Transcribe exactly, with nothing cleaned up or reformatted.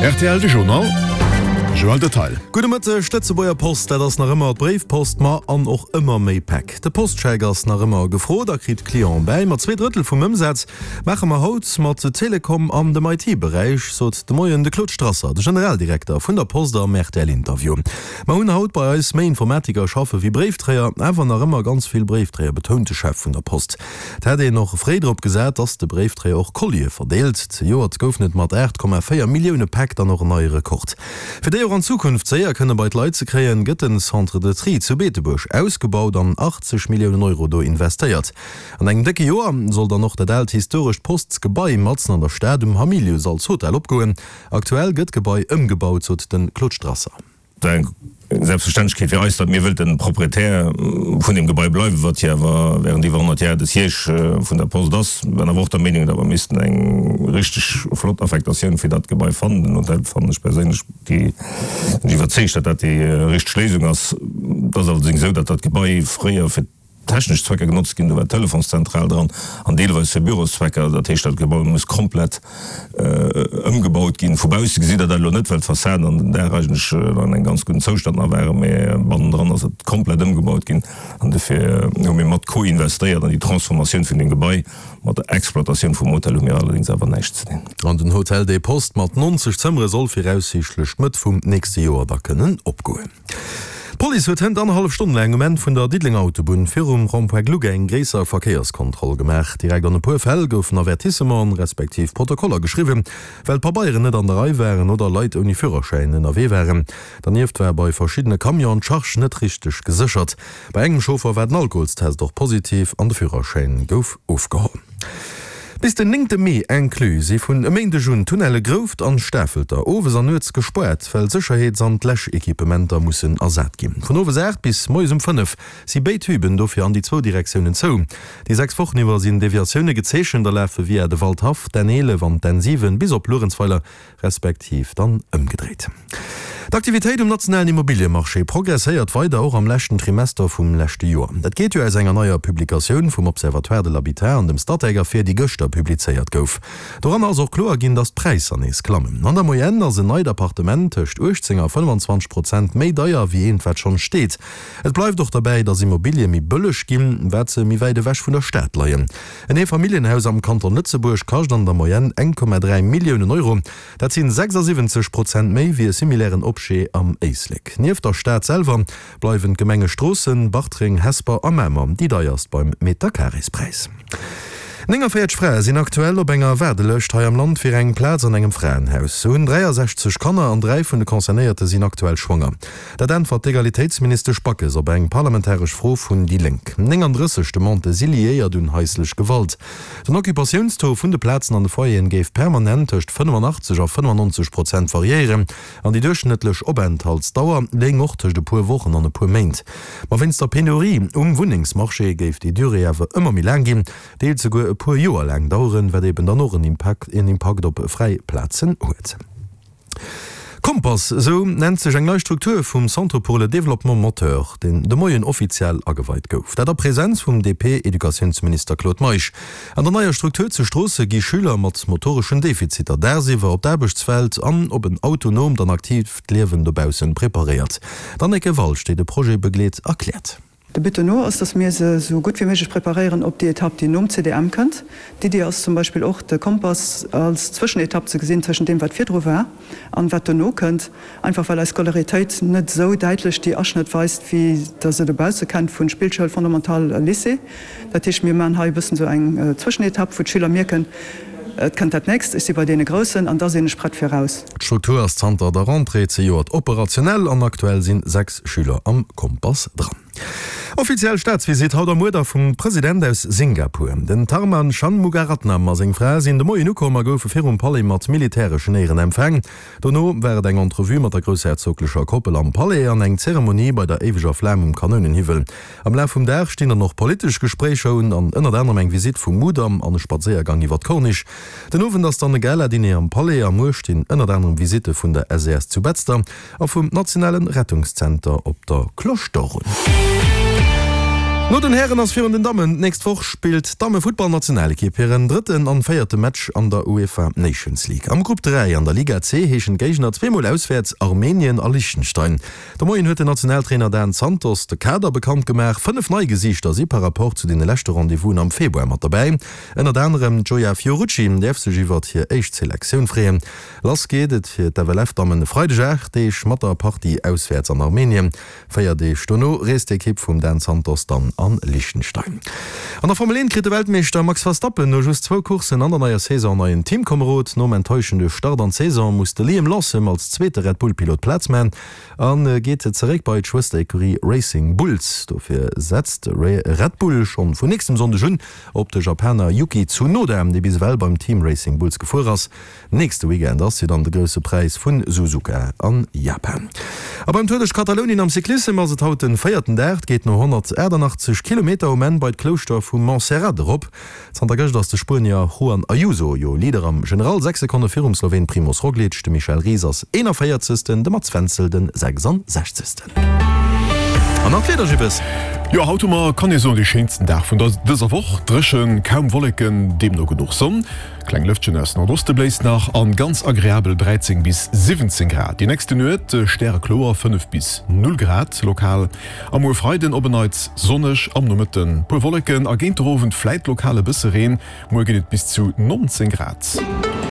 Rtl de Journal Joël Detail. Gudde Mëtteg, D'Lëtzebuerger Post, dat ass nach ëmmer d'Bréifpost, ma an och ëmmer méi Päck. De Postscheck ass nach ëmmer gefrot a kritt Clienten bäi. Ma zwee Drëttel vum Ëmsaz maache mer haut mat Telekom an dem I T-Beräich, sot de Moien de Claude Strasser, de Generaldirekter vun der Post am R T L-Interview. Mer hunn haut bei eis méi Informatiker schaffe wéi Bréifdréier, awer nach ëmmer ganz vill Bréifdréier, betount de Chef vun der Post. Et hätt een och fréi drop gesat, dass de Bréifdréier och Collië verdeelt. Zejoert goufen et mat aacht Komma véier Millioune Päck dann och en neie Rekord. Fir déi och an Zukunft séier kënne bei d'Leit ze kréien, gëtt den Centre de Tri zu Beetebuerg ausgebaut an achtzeg Milliounen Euro do investéiert. An engem décke Joer soll dann och dat aalt historescht Postsgebai matzen an der Stad um Hamilius als Hotel opgoen. Aktuell gëtt d'Gebai ëmgebaut, sot de Claude Strasser. Eng Selbstverständlechkeet fir eis, datt mir wëllten Proprietär vun deem Gebai bleiwen, wat jo awer während iwwer honnert Jar de Siège vun der Post ass. War awer och der Meenung, datt mer missten eng richteg flott Affektatioun fir dat Gebai fannen. Den Hotel fannen ech perséinlech déi, sinn ech iwwerzeegt, datt dat déi richteg Léisung ass. Et ass allerdéngs esou, datt dat Gebai fréier fir technesch Zwecker genotzt ginn, do war d'Telefonszentral dran an deelweis fir Büroszwecker. Dat heescht, dat Gebai muss komplett ëmgebaut ginn. Vu bausse gesitt Der dat elo net, well d'Fassaden an den Daach eigentlech an engem ganz gudden Zoustand nach waren, mee bannendran ass et komplett ëmgebaut ginn an dofir hu mir mat co-investéiert an déi Transformatioun vun deem Gebai. Mat der Exploitatioun vum Hotel hu mir allerdéngs awer näischt ze dinn. An den Hotel des Postes mat nonzeg Zëmmere soll viraussiichtlech Mëtt vum nächste Joer da kënnen opgoen. D'Police huet hënt annerhallef Stonn laang um Enn vun der Diddelenger Autobunn virum Rond-point Gluck eng gréisser Verkéierskontroll gemaach. Direkt an e puer Fäll goufen Avertissementen, respektiv Protokoller geschriwwen, well d'Pabeieren net an der Rei waren oder Leit ouni Führerschäin ënnerwee waren. Dernieft war bei verschiddene Camionen d'Charge net richteg geséchert. Bei engem Chauffer war den Alkoholstest och positiv an de Führerschäin gouf ofgeholl. Bis den néngte Mee inclus si vun e Méindeg un d'Tunnelle Grouft an Stafelter owes an nuets gespaart, well Sécherheets an d'Läschequipementer mussen ersat ginn. Vun owes aacht bis moies um fënnef si béid Tüben dofir an déi zwou Direktiounen zou. Déi sechs Wochen iwwer sinn Deviatioune gezeechent a lafe via de Waldhaff, d'N eelef an d'N siwen bis op Luerenzweiler, respektiv dann ëmgedréit. D'Aktivitéit um nationalen Immobiliemarché progresséiert weider, och am leschten Trimester vum leschte Joer. Dat geet jo aus enger neier Publikatioun vum Observatoire de l'Habitat an dem Statec ervir, déi gëschter publizéiert gouf. Doranner ass och kloer ginn, datt d'Präisser nees klammen. An der Moyenne ass en neit Appartement tëscht uechtzéng a fënnfanzwanzeg Prozent méi deier wéi eent, wat schonn steet. Et bleift och derbäi, datt Immobilie méi bëlleg ginn, wat se méi wäit ewech vun der Stad leien. En Eefamilljenhaus am Kanton Lëtzebuerg kascht an der Moyenne eng Komma dräi Milliounen Euro. Dat sinn sechsasiwwenzeg Prozent méi wéi e similären Objet am Éislek. Nieft der Stad selwer bleiwen d'Gemenge Stroossen, Bartreng, Hesper a Mamer déi deierst beim Meterkarespräis. nénganvéierzeg Frae sinn aktuell op enger Waardelëscht hei am Land fir eng Plaz an engem Fraenhaus. Se hunn dräiasechzeg Kanner an dräi vun de Concernéierte sinn aktuell schwanger. Dat äntwert d'Egalitéitsministesch Backes op eng parlamentaresch Fro vun déi Lénk. nénganddrësseg Demandë si liéiert un haislech Gewalt. Den Occupatiounstaux vun de Plazen an de Foyeren géif permanent tëscht fënnefanachteg a fënnefannonzeg Prozent variéieren an déi duerchschnëttlech Openthaltsdauer léing och tëscht e puer Wochen an e puer Méint. Ma wéinst der Penurie um Wunnengsmarché géif déi Durée awer ëmmer méi laang ginn, deels souguer e puer Joer laang daueren, wat eben dann och en Impakt en Impakt op fräi Plazen huet. Kompass, esou nennt sech eng nei Struktur vum Centre pour le développement moteur, deen de Moien offiziell ageweit gouf. Dat a Presenz vum D P-Educatiounsminister Claude Meisch. An der neier Struktur zu Stroosse gi Schüler mat motoreschen Defiziter dagsiwwer op d'Aarbechtswelt an op en autonoomt an aktiivt Liewen dobaussen preparéiert. D'Anneke Walsch, déi de Projet begleet, erkläert. De But dono ass, dass mir se esou gutt wéi méiglech preparéieren op déi Etapp, déi nom C D M kënnt. D'Iddi ass zum Beispill och, de Kompass als Zwëschenetapp ze gesinn tëschent deem, wat virdru war an wat dono kënnt, einfach well eis Scolaritéit net esou däitlech déi Aschnëtt weist, wéi Der se dobausse kennt vu Spillschoul, Fondamental a Lycée. Dat heescht, mir maachen hei e bëssen esou eng Zwëschenetapp, wou d'Schüler mierken, Et kënnt dat Nächst, ech si bei deene Groussen an da sinn ech prett fir eraus. D'Struktur ass zanter der Rentrée zejoert operationell an aktuell sinn sechs Schüler am Kompass dran. Offiziell Staatsvisitt haut am Uerder vum President aus Singapur. Den Tharman Shanmugaratnam a seng Fra sinn de Moien ukomm a goufe virum Palais mat militäreschen Éieren empfaang. Dono war et eng Entrevue mat der groussherzoglecher Koppel am Palais an eng Zeremonie bei der éiweger Flam um Kanounenhiwwel. Am Laf vum Dag stinn dann och politesch Gespréicher un an ënnert anerem eng Visitt vum Mudam an e Spadséiergang iwwer d'Corniche. Den Owend ass dann e Gala-Diner am Palais a muer stinn ënnert anerem Visitte vun der S E S zu Betzder a vum nationale Rettungszenter op der Cloche d'Or un. No den Hären ass virun den Dammen. D'nächst Woch spillt d'Damme-Futtballnationalekipp hiren drëtten an véierte Match an der UEFA Nations League. Am Grupp dräi an der Liga C heeschen d'Géigner zweemol auswäerts Armenien a Liechtenstein. De Moien huet den Nationaltrainer Dan Santos de Kader bekannt gemaach. Fënnef nei Gesiichter si par Rapport zu deene leschte Rendez-vousen am Februar mat derbäi. Ënnert anerem d'Gioia Fiorucci däerf sech iwwert hir éischt Selektioun freeën. Lass geet et fir d'FLF-Dammen e Freideg aacht Deeg mat der Partie auswäerts an Armenien. Véier Deeg dono reest d'Ekipp vum Dan Santos dann a Liechtenstein. An der Formel eent kritt de Weltmeeschter Max Verstappen no just zwou Courssen an der neier Saison en neien Teamkomerod. Nom enttäuschende Start an d'Saison muss de Liam Lawson als zweete Red Bull-Pilot Plaz man a geet zeréck bei d'Schwëster-Ecurie Racing Bulls. Dofir setzt Red Bull schonn vun nächstem Sonndeg un op de Japaner Yuki Tsunoda, dee bis ewell beim Team Racing Bulls gefuer ass. Nächste Weekend ass jo dann de Grousse Präis vu Suzuka an Japan. A beim Tour duerch Katalounien am Cyclissem ass et haut den véierten Dag. Et geet no honnertaachtannachtzeg Kilometer um Enn bei d'Klouschter vu Montserrat erop. Zanter gëscht ass de Spuenier Juan Ayuso jo Leader am General, sechs Sekonne virum Sloween Primoz Roglic. De Michel Ries ass eenanvéierzegsten, de Mats Wenzel den sechsandsechzegsten. An nach d'Wieder, Jippes. Jo, haut hu mer, kann ee soen, dee schéinsten Dag vun dëser Woch. Dréchen, kaum Wolleken, deemno genuch Sonn. Kleng Lëftchen aus Nordoste bléist nach an ganz agreabel dräizéng bis siwwenzéng Grad. Déi nächste Nuet stärekloer, fënnef bis null Grad lokal. A muer Freiden op en Neits sonneg, am Nomëtten puer Wolleken a géint der Owend fläit lokal e bësse Reen. Muer ginn et bis zu nonzéng Grad.